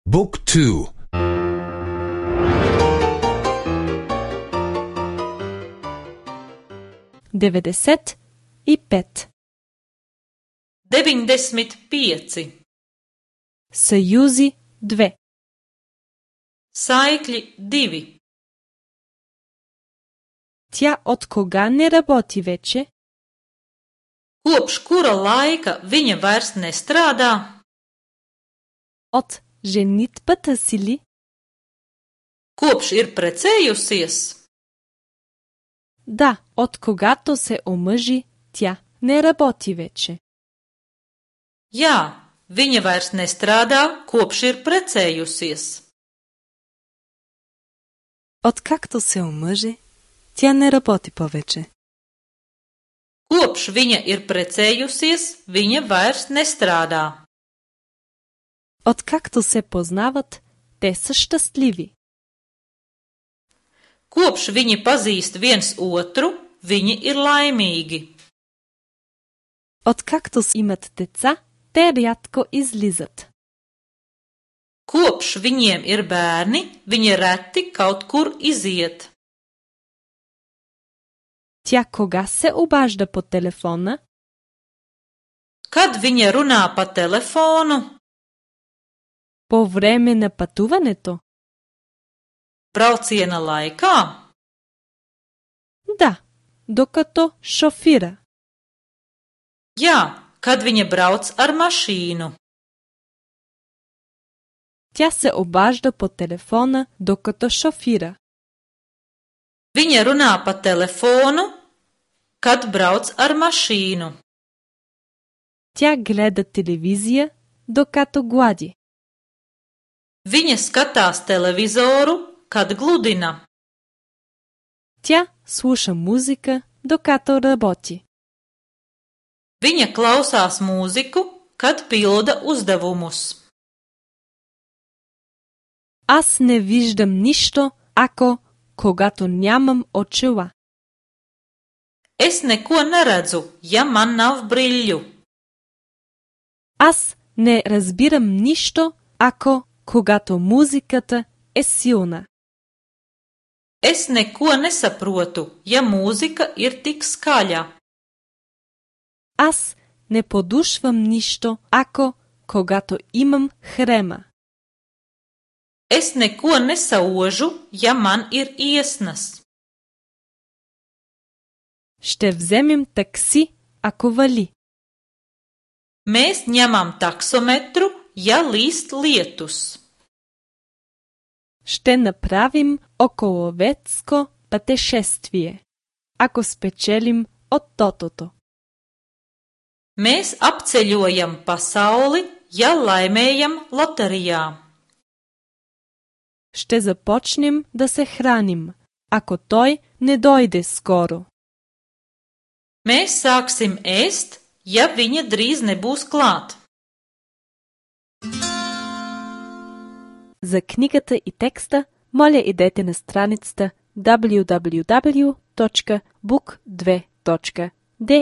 Book 2. 95. 95. Съюзи 2. Saikļi 2. Тя от кога не работи вече? Kopš kura laika viņa vairs nestrādā? От женитбата си ли? Kopš ir precējusies? Да, от когато се омъжи, тя не работи вече. Jā, viņa vairs nestrādā, kopš ir precējusies. Откакто се омъжи, тя не работи повече. Kopš viņa ir precējusies, viņa vairs nestrādā. Откакто се познават, те са щастливи. Kopš viņi pazīst viens otru, viņi ir laimīgi. Откакто имат деца, те рядко излизат. Kopš viņiem ir bērni, viņi reti kaut kur iziet. Тя кога се обажда по телефона? Kad viņa runā pa telefonu? По време на пътуването? Brauciena laikā? Да, докато шофира. Jā, kad viņa brauc ar mašīnu. Тя се обажда по телефона, докато шофира. Viņa runā pa telefonu, kad brauc ar mašīnu. Тя гледа телевизия, докато глади. Viņa skatās televizoru, kad gludina. Тя слуша музика, докато работи. Viņa klausās mūziku, kad pilda uzdevumus. Аз не виждам нищо, когато нямам очила. Es neko neredzu, ja man nav brīļu. Аз не разбирам нищо, когато музиката е силна. Es neko nesaprotu, ja mūzika ir tik skaļa. Аз не подушвам нищо, когато имам хрема. Es neko nesaužu, ja man ir iesnas. Ще вземем такси, ако вали. Mēs ņemam taksometru, ja līst lietus. Ще направим околовецко пътешествие, ако спечелим от тотото. Mēs apceļojam pasauli, ja laimējam loterijā. Ще започнем да се храним, ако той не дойде скоро. Mēs sāksim ēst, ja viņa drīz nebūs klāt. За книгата и текста, моля идете на страницата www.book2.de.